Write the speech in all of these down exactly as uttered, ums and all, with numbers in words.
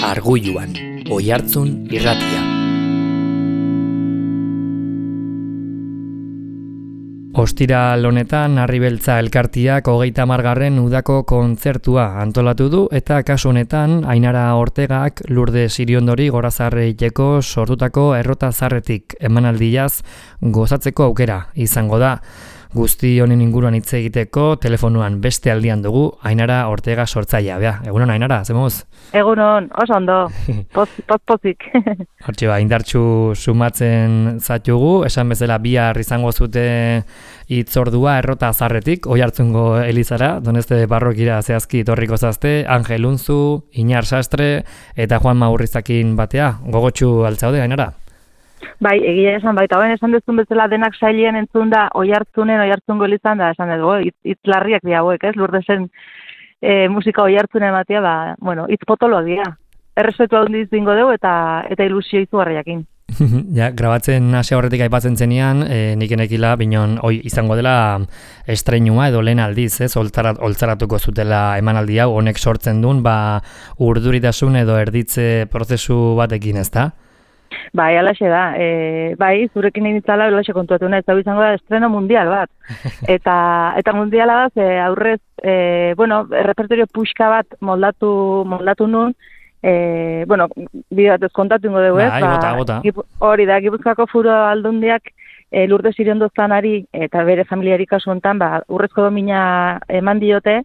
Argulluan, Oihartzun irratia. Ostiral honetan Harribeltza elkartiak hogeita hamargarren udako kontzertua antolatu du eta kasu honetan Ainara Ortegak Lourdes Iriondori gorazarreiteko sortutako errota zarretik emanaldiaz gozatzeko aukera izango da. Guzti honen inguruan hitz egiteko telefonuan beste aldian dugu Ainara Ortega sortzailea. Bea, egunon Ainara, zemuz? Egunon, oso ondo, poz-pozik. Hortxe ba, indartxu sumatzen zatugu, esan bezala bihar izango zute hitzordua errota zarretik, Oihartzungo elizara, Donezte parrokira zehazki etorriko zazte, Angel Unzu, Iñar Sastre eta Juan Maurrizakin batea. Gogotsu altzaude, Ainara? Bai, egia esan baita, ben esan dezun bezala denak sailien entzun da Oihartzunen, Oihartzungo elizan da, esan dugu, hitz larriak dira hauek, ez, Lourdesen e, musika Oihartzunen batia, ba, bueno, hitz potolo dira. Errespetu handiz dingo dugu eta eta ilusio izugarriakin. Ja, grabatzen hasi horretik aipatzen zenean, e, nik enekila binon oi izango dela estreinua edo lehen aldiz, ez, oltzarat, oltzaratuko zutela emanaldi hau, honek sortzen duen, ba, urduritasun edo erditze prozesu batekin, ez da? Bai, alaxe da. E, bai, zurekin initzala alaxe kontuatu nahi, ez izango da estreno mundial bat. Eta eta mundiala da, ze aurrez, e, bueno, repertorio puxka bat moldatu, moldatu nun, e, bueno, bide bat ez kontatu ingo dugu, ez? Bai, bota, bota. Gipu, hori da, Gipuzkoako Foru Aldundiak e, Lourdes Iriondo zanari eta bere familiari kasu honetan, ba, urrezko domina eman diote,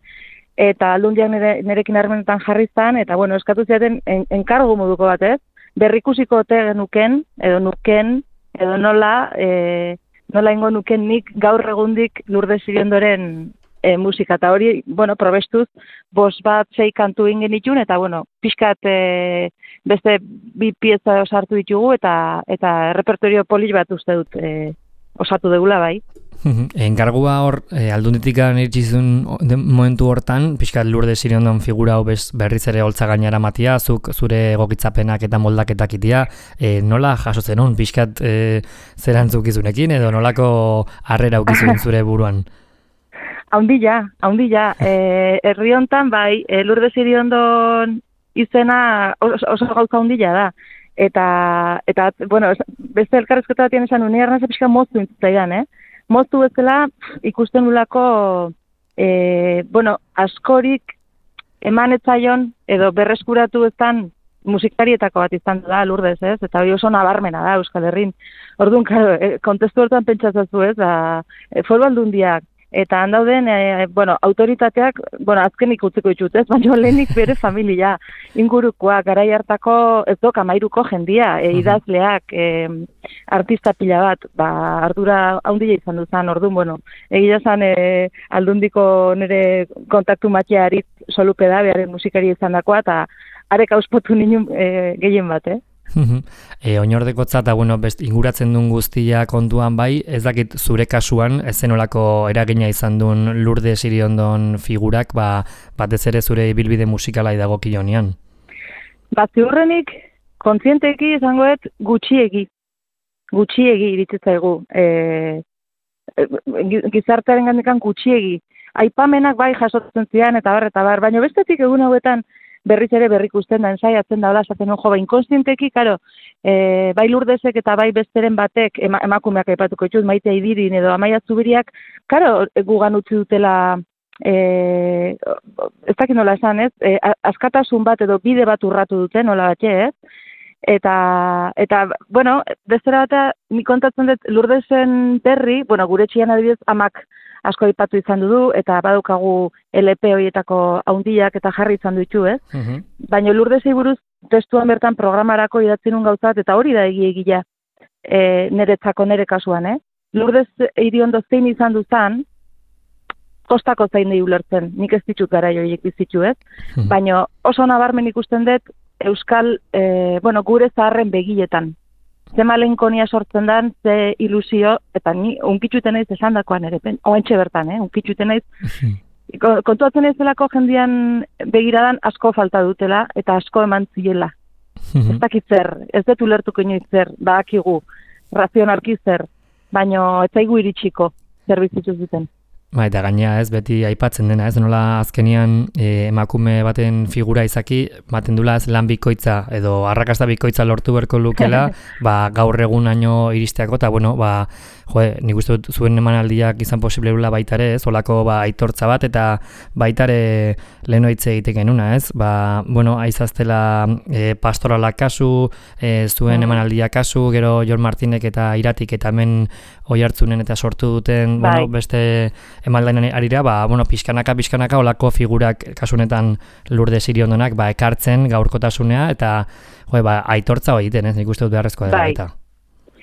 eta aldundiak nire, nirekin harremanetan jarri zan, eta bueno, eskatu ziaten en, enkargu moduko bat, ez? Berrikusiko ote genuken, edo nuken, edo nola, e, nola ingo nuken nik gaur egundik Lourdes Iriondoren e, musika. Eta hori, bueno, probestuz, bos bat sei kantu ingen itun, eta bueno, pixkat e, beste bi pieza osartu ditugu, eta eta repertorio polis bat uste dut e, osatu degula bai. Enkargua hor, e, aldunditik iritsi momentu hortan, pixkat Lourdes Iriondon figura hau berriz ere holtza gainara matia, zuk zure egokitzapenak eta moldaketak itia, e, nola jasotzen hon, pixkat e, zerantzuk izunekin, edo nolako harrera ukizun zure buruan? Haundila, haundila. E, herri hontan bai, e, Lourdes Iriondon izena oso, oso gauza haundila da. Eta, eta bueno, beste elkarrezketa batien esan unia ernaze pixka moztu intzaidan, eh? Moztu bezala ikusten ulako, e, bueno, askorik emanetzaion edo berreskuratu eztan musikarietako bat izan da Lourdes, ez? Eta hori oso nabarmena da Euskal Herrin. Orduan, claro, e, kontestu hortan pentsatzazu, ez? Da, e, Foru Aldundiak eta handauden, e, bueno, autoritateak, bueno, azkenik utziko ditut, ez? Baina lehenik bere familia, ingurukoa, garai hartako, ez dok, amairuko jendia, e, idazleak, e, artista pila bat, ba, ardura haundila izan duzan, orduan, bueno, egia zan, e, aldundiko nire kontaktu matxearit solupe da, beharen musikari izan dakoa, eta arek auspotu ninen e, gehien bat, eh? e, oinordekotza eta bueno, best, inguratzen duen guztia kontuan bai, ez dakit zure kasuan, ez zenolako eragina izan duen Lourdes Iriondon figurak, ba, batez ere zure ibilbide musikala idagokionean. Ba, ziurrenik, kontzienteki izangoet gutxiegi, gutxiegi iritzaigu, e, gizartearen gandikan gutxiegi. Aipamenak bai jasotzen zian eta bar, eta bar, baina bestetik egun hauetan, berriz ere berrikusten da, ensaiatzen da, hola, esaten ojo, ba, inkonstienteki, karo, e, bai Lourdesek eta bai besteren batek, ema, emakumeak aipatuko ditut, Maite Idirin edo Amaia Zubiriak, karo, gugan utzi dutela, e, ez dakit nola esan, ez, e, askatasun bat edo bide bat urratu dute, nola batxe, ez, eta, eta, bueno, bestera bat, ni kontatzen dut Lourdesen berri, bueno, gure txian adibidez, amak asko aipatu izan du, eta badukagu L P horietako haundiak eta jarri izan ditu, ez? Uh-huh. Baina Lourdesei buruz testuan bertan programarako idatzi nun gauzat, eta hori da egi egia e, niretzako nire kasuan, eh? Lourdes Iriondo zein izan duzan, kostako zain nahi ulertzen, nik ez ditut gara joiek bizitu, ez? Uh-huh. Baina oso nabarmen ikusten dut Euskal, e, bueno, gure zaharren begietan. Ze malenkonia sortzen dan, ze ilusio, eta ni unkitxuten naiz esan dakoan ere, oentxe bertan, eh? Unkitxuten naiz. Kontuatzen ez delako jendian begiradan asko falta dutela, eta asko eman ziela. Ez dakit zer, ez dut ulertuko inoiz zer, badakigu, razionarki zer, baina ez zaigu iritsiko, zer bizitu zuten. Ba, eta gainea ez, beti aipatzen dena, ez nola azkenian e, emakume baten figura izaki, baten dula ez lan bikoitza edo arrakasta bikoitza lortu berko lukela, ba, gaur egunaino iristeako, eta bueno, ba, jo, nik uste dut zuen emanaldiak izan posible dula baitare, ez, olako ba, aitortza bat, eta baitare leheno hitz egite genuna, ez, ba, bueno, aizaztela e, pastorala kasu, e, zuen emanaldia kasu, gero Jon Martinek eta Iratik eta hemen Oiartzunen eta sortu duten, Bai. bueno, beste emaldainen arira, ba, bueno, pixkanaka, pixkanaka, olako figurak kasunetan Lurde Siriondonak, ba, ekartzen gaurkotasunea, eta, jo, ba, aitortza hori egiten, ez, nik uste dut beharrezkoa dela, Bai. eta.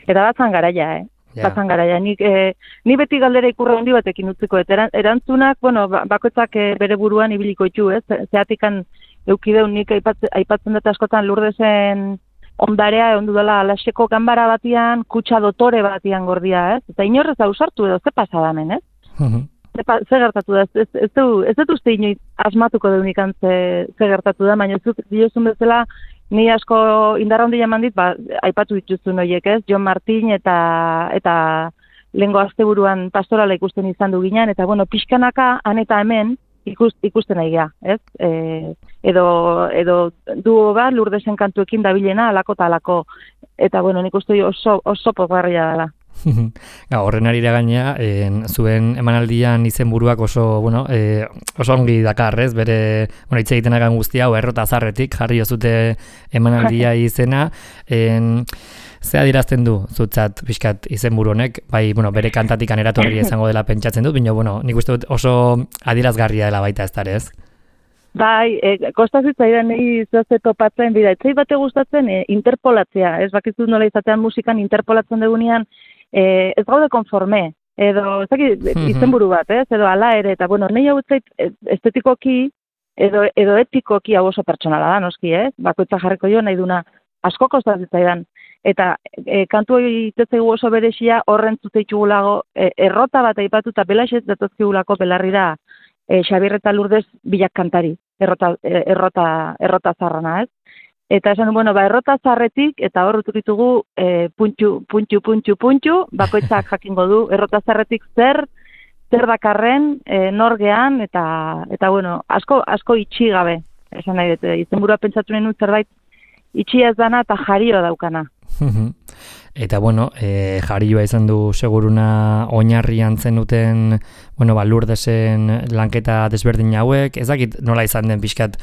Eta batzan garaia, eh? Ja. Batzan garaia. Nik, eh, ni beti galdera ikurra handi batekin utziko, eta eran- erantzunak, bueno, ba- bakoitzak eh, bere buruan ibiliko itxu, ez? Ze- Zeatikan eukideun nik aipatzen, aipatzen dut askotan Lurdesen ondarea egon dudala alaseko ganbara batian, kutsa dotore batian gordia, ez? Eta inorrez ausartu edo, ze pasada hemen, ez? Mhm. Ze, pa- ze gertatu da, ez, ez, ez, du- ez dut uste inoiz asmatuko deunik ze, ze gertatu da, baina zuk diozun bezala, ni asko indarra handia eman dit, ba, aipatu dituzun horiek, ez? Jon Martin eta eta lehengo asteburuan pastorala ikusten izan du ginen, eta bueno, pixkanaka han eta hemen ikust, ikusten nahi gea, ez? E, edo, edo duo bat Lurdesen kantuekin dabilena, alako eta alako. Eta bueno, nik uste oso, oso pozgarria dela. Ga, horren arira gainea, en, zuen emanaldian izenburuak oso, bueno, e, oso ongi dakar, ez? Bere, bueno, hitz egiten agan guztia, hau errota zarretik, jarri jozute emanaldia izena, en, ze adirazten du zutzat pixkat izenburu honek, bai, bueno, bere kantatik eratorri izango dela pentsatzen dut, baina, bueno, nik uste dut oso adirazgarria dela baita ez dara, ez? Bai, e, kostazitzaidan nahi zoazte topatzen, bida, etzai bate gustatzen e, interpolatzea, ez bakizu nola izatean musikan interpolatzen dugunean, e, ez gaude konforme, edo, ez dakit, izenburu bat, ez, edo ala ere, eta bueno, nahi hau zait estetikoki, edo, edo etikoki hau oso pertsonala da, noski, ez, bakoitza jarriko jo nahi duna, asko kostazitzaidan, eta e, kantu hori itetzegu oso beresia horren zuteitugulago, e, errota bat aipatu eta belaxez datozkigulako belarri da, E, Xabier eta Lourdes bilak kantari, errota, errota, errota zarrana, ez? Eta esan, bueno, ba, errota zarretik, eta hor ditugu e, puntxu, puntxu, puntxu, puntxu, bakoitzak jakingo du, errota zarretik zer, zer dakarren, e, norgean, eta, eta bueno, asko, asko itxi gabe, esan nahi dut, izenburua pentsatu nahi zerbait, itxia ez dana eta jario daukana. Eta, bueno, e, jarioa izan du seguruna oinarrian zen duten, bueno, ba, Lurdesen lanketa desberdin hauek, ez dakit nola izan den pixkat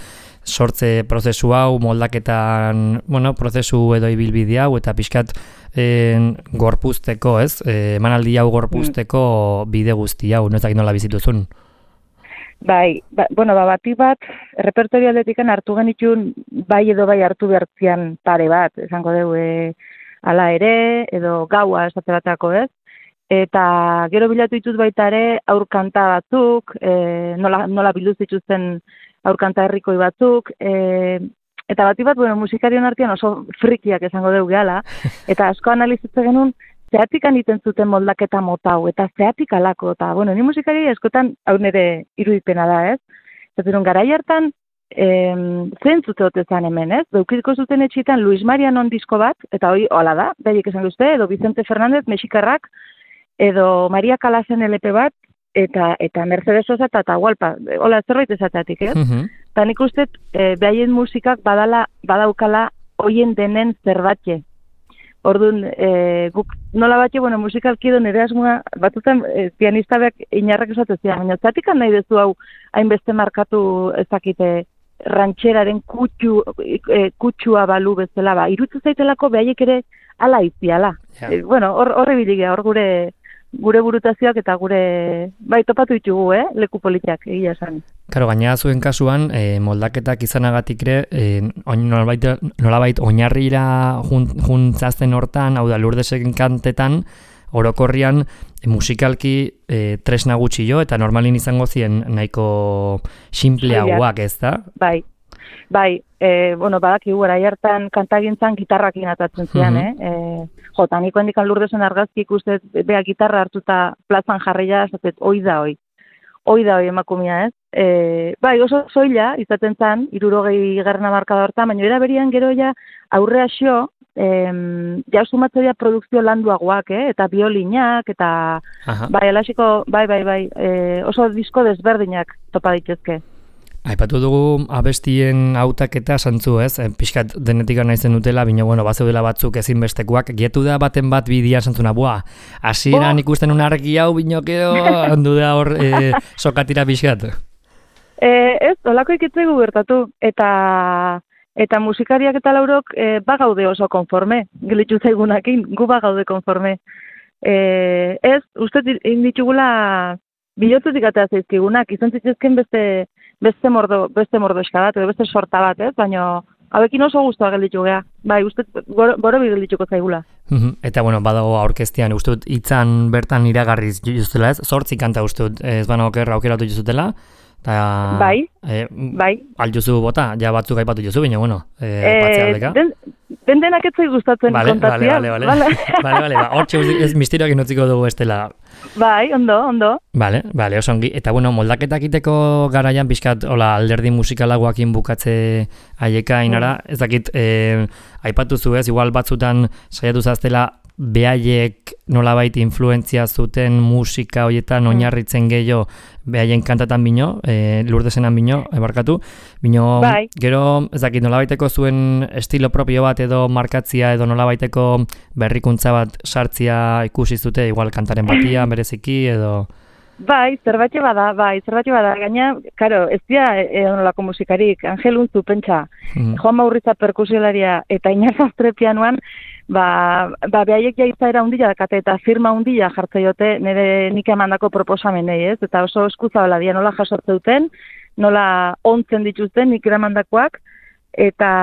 sortze prozesu hau, moldaketan, bueno, prozesu edo ibilbide hau, eta pixkat en, gorpuzteko, ez? E, emanaldi hau gorpuzteko bide guzti hau, ez dakit nola bizituzun? Bai, ba, bueno, ba, bati bat, repertorio aldetikan hartu genitun, bai edo bai hartu behartzian pare bat, esango dugu, e, ala ere, edo gaua esate batako, ez? Eta gero bilatu ditut baita ere aurkanta batzuk, e, nola, nola bilduz dituzten aurkanta herrikoi batzuk, e, eta bati bat, bueno, musikarion artean oso frikiak esango dugu gehala, eta asko analizitze genuen, zehatik aniten zuten moldaketa mota hau, eta zehatik alako, eta, bueno, ni musikari askotan hau nire irudipena da, ez? Zaten, garai hartan, em, zen zute hotezan hemen, ez? Beukiko zuten etxitan Luis Marianon disko bat, eta hoi, hola da, behiek esan duzte, edo Vicente Fernández, Mexikarrak, edo Maria Kalasen L P bat, eta eta Mercedes Sosa eta Atahualpa, hola, zerbait esateatik, ez? Eta nik uste, e, behaien musikak badala, badaukala hoien denen zerbatxe. Orduan, e, guk nola batxe, bueno, musikalki edo nire asmoa, batutan e, pianista beak inarrak esatezia, baina zatikan nahi dezu hau hainbeste markatu ezakite rantxeraren kutxu, e, kutxua balu bezala, ba, irutzu zaitelako behaiek ere ala iziala. Ja. E, bueno, hor, horre biligea, hor gure gure burutazioak eta gure, bai, topatu ditugu, eh, leku politiak, egia esan. Karo, gaina zuen kasuan, e, moldaketak izanagatik ere, e, nolabait, nolabait oinarrira juntzazten hortan, hau da, Lurdesen kantetan, orokorrian, e, musikalki e, tresna gutxi jo, eta normalin izango zien nahiko sinpleagoak, ez da? Bai, bai, e, bueno, badakigu, gara hartan kantagintzan gitarrakin atatzen zian, Mm-hmm. eh? E, jota, niko handikan Lurdesen argazki ikusten, beha gitarra hartuta plazan jarria, zatet, oi da, oi. Hoi da, hoi emakumia, ez? E, bai, oso soila, izaten zen, irurogei garrana markada hortan, baina era berian gero ja aurrea xo, em, ja sumatzea produkzio landuagoak, eh? Eta biolinak, eta Aha. bai, alasiko, bai, bai, bai, e, oso disko desberdinak topa daitezke. Aipatu dugu abestien hautaketa santzu, ez? E, pixkat denetik naizen dutela, bina, bueno, bazeudela batzuk ezinbestekoak, gietu da baten bat bidia santzuna, bua, hasieran Oh. ikusten un argi hau, binokeo, handu da hor e, sokatira pixkat. E, ez, olako ikitzegu gertatu, eta eta musikariak eta laurok e, bagaude oso konforme, gelitzu zaigunakin, gu bagaude konforme. E, ez, uste ditugula bilotzetik atea zaizkigunak, izan zitzezken beste beste mordo, beste mordoska bat, edo beste sorta bat, ez? Baina hauekin oso guztua gelditu gea. Bai, uste goro, goro geldituko zaigula. Eta, bueno, badago aurkeztian, uste dut, hitzan bertan iragarriz juztela, ez? Zortzi kanta uste dut, ez bana okerra aukeratu juzutela. Ta, bai, e, bai. Aljuzu bota, ja batzuk aipatu juzu, baina, bueno, e, aipatzea aldeka. Den, den denak ez zaiz gustatzen vale, kontatzea. Vale, vale, vale. vale, vale, ba, hortxe ez misterioak inutziko dugu estela. Bai, ondo, ondo. Vale, vale, oso ongi. Eta, bueno, moldaketak iteko garaian, pixkat, hola, alderdi musikalagoakin bukatze aieka inara, mm. ez dakit, e, aipatu zu ez, igual batzutan saiatu zaztela, behaiek nolabait influentzia zuten musika horietan oinarritzen gehiago behaien kantatan bino, e, Lurdesenan bino, ebarkatu, bino, bai. Gero, ez dakit, nolabaiteko zuen estilo propio bat edo markatzia edo nolabaiteko berrikuntza bat sartzia ikusi zute, igual kantaren batia, bereziki edo... Bai, zerbatxe bada, bai, zerbatxe bada, gaina, karo, ez dira edonolako musikarik, Angel Unzu, pentsa, mm. Joan Maurritza perkusiolaria eta Iñar Sastre pianoan, ba, ba behaiek ja izaera hundila dakate eta firma hundila jartzaiote nire nik emandako proposamenei, ez? Eta oso eskuzabala dia nola jasortze duten, nola ontzen dituzten nik eramandakoak, eta,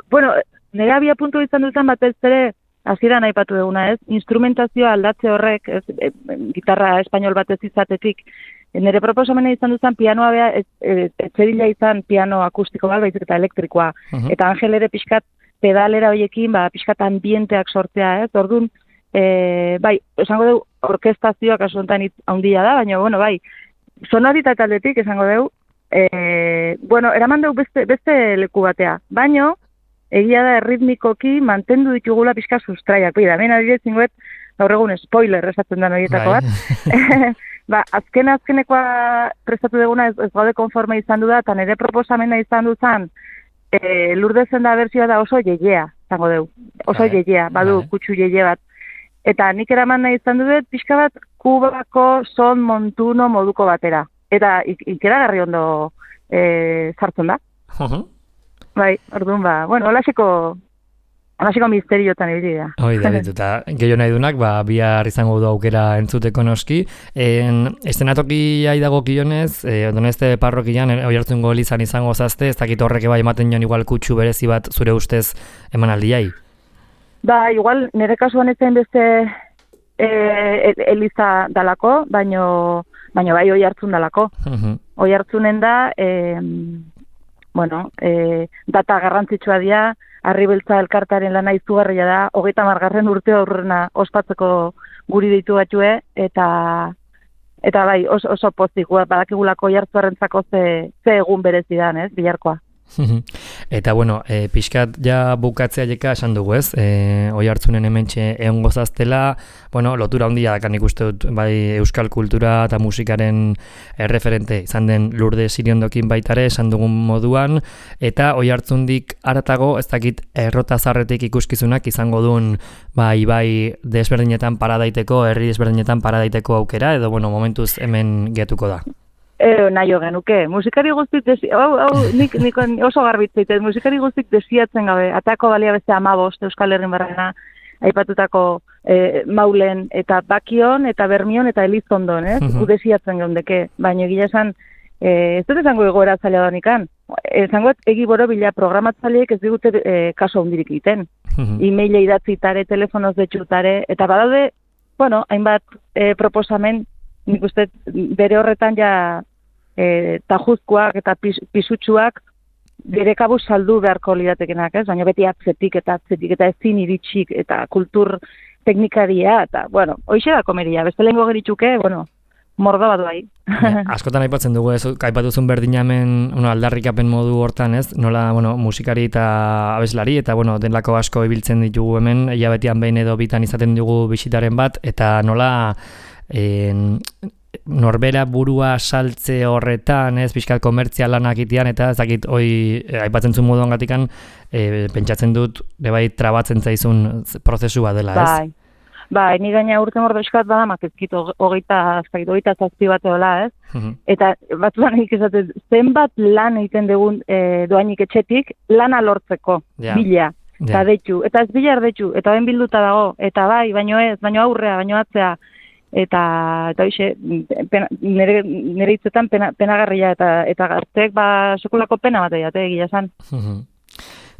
bueno, nire abia puntu izan duten batez ere, hasieran aipatu duguna, ez? Instrumentazioa aldatze horrek, ez, e, gitarra espainol batez izatetik, nire proposamena izan duzan pianoa beha, ez, ez, etzerila izan piano akustiko bat, baizik eta elektrikoa. Uh-huh. Eta Angel ere pixkat pedalera horiekin, ba, pixkat ambienteak sortzea, ez? Orduan, e, bai, esango dugu, orkestazioak kasu honetan handia da, baina, bueno, bai, sonoritate aldetik, esango dugu, e, bueno, eraman dugu beste, beste leku batea, baino, egia da erritmikoki mantendu ditugula pixka sustraiak. Bida, hemen adibidez zinguet, gaur egun spoiler esatzen da horietako bat. ba, azken azkenekoa prestatu duguna ez, ez gaude konforme izan du da, eta nire proposamena izan duzan, e, Lurdezen da bertsioa da oso jeiea, zango deu. Oso jeiea, badu kutsu jeie bat. Eta nik eraman nahi izan dut, pixka bat, kubako son montuno moduko batera. Eta ik, ikeragarri ondo e, sartzen da. Uh-huh. Bai, orduan ba, bueno, holaseko, holaseko misteriotan ibili da. Hoi da, ditu, eta gehiago nahi dunak, ba, bihar izango du aukera entzuteko noski. En, estenatoki dago kionez, e, Donezte parrokian, hoi hartzun golizan izango zazte, ez dakit horrek bai ematen joan igual kutsu berezi bat zure ustez eman aldiai? Ba, igual, nire kasuan ez zen beste e, eliza dalako, baino, baino bai hoi hartzun dalako. Uh-huh. Hoi hartzunen da, e, bueno, e, data garrantzitsua dira, Arribeltza elkartaren lana izugarria da, hogeita margarren urte aurrena ospatzeko guri ditu batue, eta eta bai, oso, oso pozik, badakigulako jartzuarrentzako ze, ze egun berezidan, ez, bilarkoa. Eta, bueno, e, pixkat ja bukatzea jeka esan dugu, ez? E, oi hartzunen hementxe egon gozaztela, bueno, lotura handia dakan ikuste dut, bai, euskal kultura eta musikaren erreferente izan den Lurde Siriondokin baitare esan dugun moduan, eta oi hartzundik aratago, ez dakit errota zarretik ikuskizunak izango duen, bai, bai, desberdinetan paradaiteko, herri desberdinetan paradaiteko aukera, edo, bueno, momentuz hemen getuko da. E, nahi genuke. Musikari guztik, desi... hau, hau, nik, nik oso garbitzeitez, musikari guztik desiatzen gabe, atako balia beste amabost Euskal Herrin barrena, aipatutako e, Maulen, eta Bakion, eta Bermion, eta Elizondon, ez? Uh-huh. Desiatzen geundeke, baina egia esan, e, ez dut esango egoera zaila donikan, esango egi boro bila programatzaileek ez digute e, kaso hundirik egiten. Uh-huh. E-maile idatzitare, telefonoz detxutare, eta badaude, bueno, hainbat e, proposamen, nik uste bere horretan ja e, tajuzkoak eta pis, pisutsuak bere kabuz saldu beharko lidatekenak, ez? Baina beti atzetik eta atzetik eta ezin iritsik eta kultur teknikaria, eta, bueno, hoixe da komeria. Beste lehenko geritxuke, bueno, mordo bat bai. Askotan aipatzen dugu, ez, aipatuzun berdinamen bueno, aldarrikapen modu hortan, ez, nola, bueno, musikari eta abeslari, eta, bueno, denlako asko ibiltzen ditugu hemen, hilabetian behin edo bitan izaten dugu bisitaren bat, eta nola, en, norbera burua saltze horretan, ez, pixkat komertzialanak itean, eta ez dakit, hoi, aipatzen zuen moduan gatikan, e, pentsatzen dut, bai, trabatzen zaizun prozesua dela, ez? Bai. Ba, ni gaina urte mordo eskat badamak ezkit hogeita, hogeita zazpi bat eola, ez? Uh-huh. Eta batzuan ikizaten, zenbat lan egiten dugun e, doainik etxetik, lana lortzeko, yeah. bila, eta yeah. detxu, eta ez bila erdetxu, eta ben bilduta dago, eta bai, baino ez, baino aurrea, baino atzea, eta, eta hoxe, nire, nire hitzetan pena, penagarria, eta, eta gazteek, ba, sekulako pena bat egiate, egia esan. Uh-huh.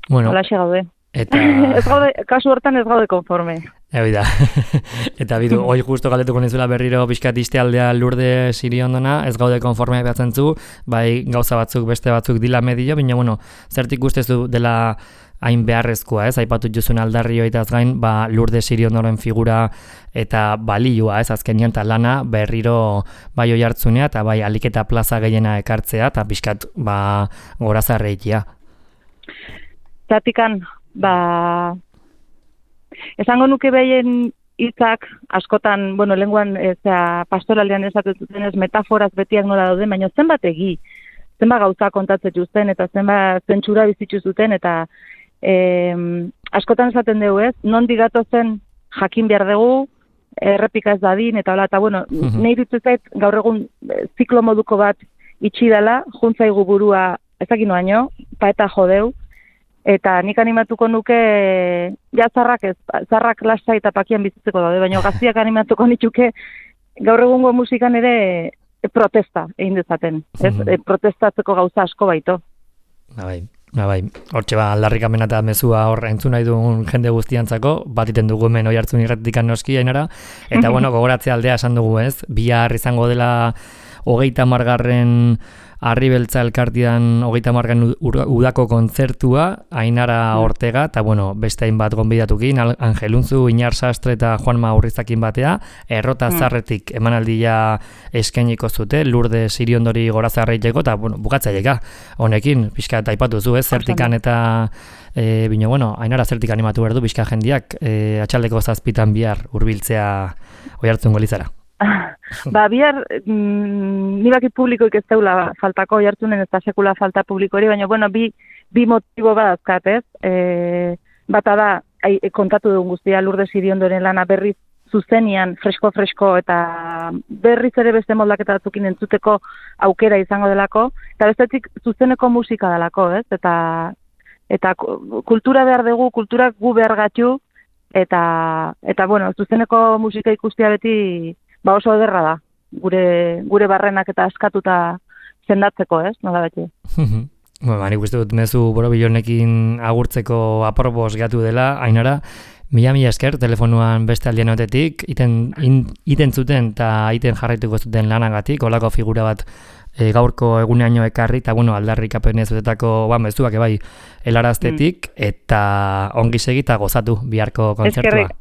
Bueno. Hola xe gaude. Eta... ez gaude, kasu hortan ez gaude konforme. Egi da. Eta bidu, hoi justo galdetuko nizula berriro pixkat aldea Lurde Siriondona, ez gaude konforme behatzen zu, bai gauza batzuk, beste batzuk dila medio, baina bueno, zertik guztezu dela hain beharrezkoa, ez, aipatu juzun aldarrio eta gain, ba, Lurde Siriondoren figura eta balioa, ez, azkenian eta lana berriro bai oi hartzunea, eta bai aliketa plaza gehiena ekartzea, eta pixkat, ba, gorazarreikia. Zatikan, ba, esango nuke behien hitzak askotan, bueno, lenguan ezea, pastoraldean esaten zuten ez metaforaz betiak nola dauden, baina zenbat egi, zenbat gauza kontatzen zuten, eta zenbat zentsura bizitzu zuten, eta e, askotan esaten dugu ez, non digatu zen jakin behar dugu, errepika ez dadin, eta hola, eta bueno, uh-huh. nahi dut zait gaur egun ziklo moduko bat itxi dela, juntzaigu burua ezakino baino, pa eta jodeu, eta nik animatuko nuke, ja zarrak ez, zarrak lasta eta pakian bizitzeko daude, baina gaztiak animatuko nituke gaur egungo musikan ere protesta egin dezaten, ez? Mm-hmm. E, protestatzeko gauza asko baito. Ba bai, ba bai, hortxe ba, aldarrikamena eta mezua hor entzun nahi duen jende guztiantzako, bat iten dugu hemen oi hartzun irratikan noski ainara, eta bueno, gogoratzea aldea esan dugu ez, bihar izango dela hogeita margarren Arribeltza elkartian hogeita margan udako kontzertua, Ainara Ortega, eta bueno, beste hainbat gonbidatukin, Angelunzu, Inar Sastre eta Juanma Urrizakin batea, Errota Zarretik emanaldia eskainiko zute, Lurde Siriondori gorazarreiteko, eta bueno, bukatzaieka, honekin, pixka eta aipatu zu, ez, zertikan eta, e, bino, bueno, Ainara zertik animatu behar du, pixka jendiak, e, atxaldeko zazpitan bihar hurbiltzea oi hartzun golizara. Ba, bihar, mm, nibaki publikoik ez daula faltako, jartunen ez da sekula falta publikori, baina, bueno, bi, bi motibo bat azkat, ez? E, bata da, ai, kontatu dugun guztia, Lurde Siriondoren lana berriz zuzenian, fresko-fresko, eta berriz ere beste moldaketa batzukin entzuteko aukera izango delako, eta bestetik zuzeneko musika delako, ez? Eta, eta kultura behar dugu, kulturak gu behar gatxu, eta, eta, bueno, zuzeneko musika ikustia beti, ba oso ederra da, gure, gure barrenak eta askatuta zendatzeko, ez, nola beti. Bueno, nik uste dut mezu borobilonekin agurtzeko apropos gatu dela, Ainara, mila-mila esker telefonuan beste aldien otetik, iten, in, iten zuten eta iten jarraituko zuten lanagatik, olako figura bat e, gaurko eguneaino ekarri, eta bueno, aldarrikapen ez zutetako, ba, mezuak ebai, helaraztetik, mm. eta ongi segi eta gozatu biharko kontzertua. Eskerrik.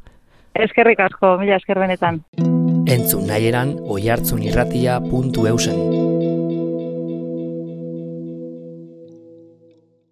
Eskerrik asko, mila esker benetan. Entzun nahi eran oihartzunirratia puntu eusen.